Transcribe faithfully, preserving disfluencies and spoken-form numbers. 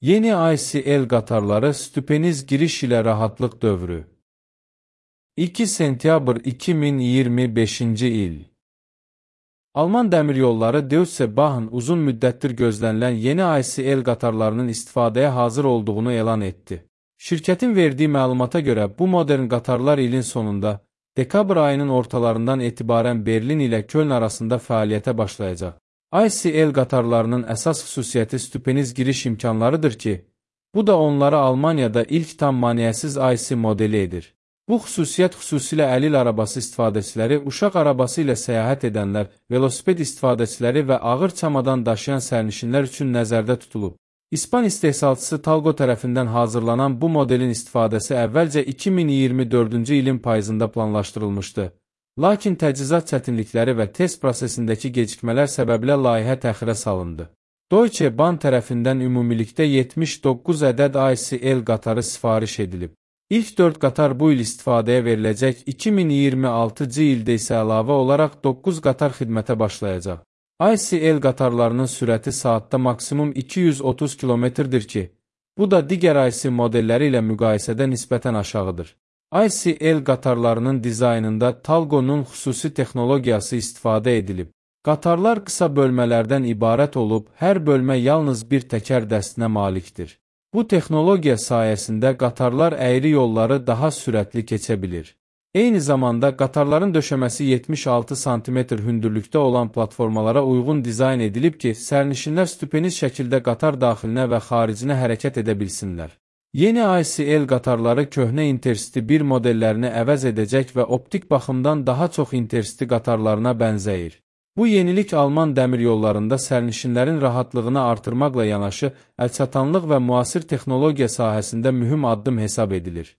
Yeni I C L qatarları stüpeniz giriş ilə rahatlıq dövrü. iki sentyabr iki min iyirmi beşinci il. Alman dəmiryolları Deutsche Bahn uzun müddətdir gözlənilən yeni I C L qatarlarının istifadəyə hazır olduğunu elan etdi. Şirkətin verdiyi məlumata görə bu modern qatarlar ilin sonunda, dekabr ayının ortalarından etibarən Berlin ilə Köln arasında fəaliyyətə başlayacaq. I C L qatarlarının əsas xüsusiyyəti stüpeniz giriş imkanlarıdır ki, bu da onları Almaniyada ilk tam maneəsiz I C modeli edir. Bu xüsusiyyət xüsusilə əlil arabası istifadəçiləri, uşaq arabası ilə səyahət edənlər, velosiped istifadəçiləri və ağır çamadan daşıyan sərnişinlər üçün nəzərdə tutulub. İspan istehsalçısı Talgo tərəfindən hazırlanan bu modelin istifadəsi əvvəlcə iki min iyirmi dördüncü ilin payızında planlaşdırılmışdı. Lakin təchizat çətinlikləri və test prosesindəki gecikmələr səbəbilə layihə təxirə salındı. Deutsche Bahn tərəfindən ümumilikdə yetmiş doqquz ədəd I C L qatarı sifariş edilib. İlk dörd qatar bu il istifadəyə veriləcək, iki min iyirmi altıncı ildə isə əlavə olaraq doqquz qatar xidmətə başlayacaq. I C L qatarlarının sürəti saatda maksimum iki yüz otuz kilometrdir ki, bu da digər I C modelləri ilə müqayisədə nisbətən aşağıdır. I C L qatarlarının dizaynında Talgo'nun xüsusi texnologiyası istifadə edilib. Qatarlar qısa bölmələrdən ibarət olub, hər bölmə yalnız bir təkər dəstinə malikdir. Bu texnologiya sayəsində qatarlar əyri yolları daha sürətli keçə bilir. Eyni zamanda qatarların döşəməsi yetmiş altı santimetr hündürlükdə olan platformalara uyğun dizayn edilib ki, sərnişinlər stüpeniz şəkildə qatar daxilinə və xaricinə hərəkət edə bilsinlər. Yeni I C L qatarları köhnə Intercity bir modellərini əvəz edəcək və optik baxımdan daha çox Intercity qatarlarına bənzəyir. Bu yenilik Alman dəmir yollarında sərnişinlərin rahatlığını artırmaqla yanaşı, əlçatanlıq və müasir texnologiya sahəsində mühüm addım hesab edilir.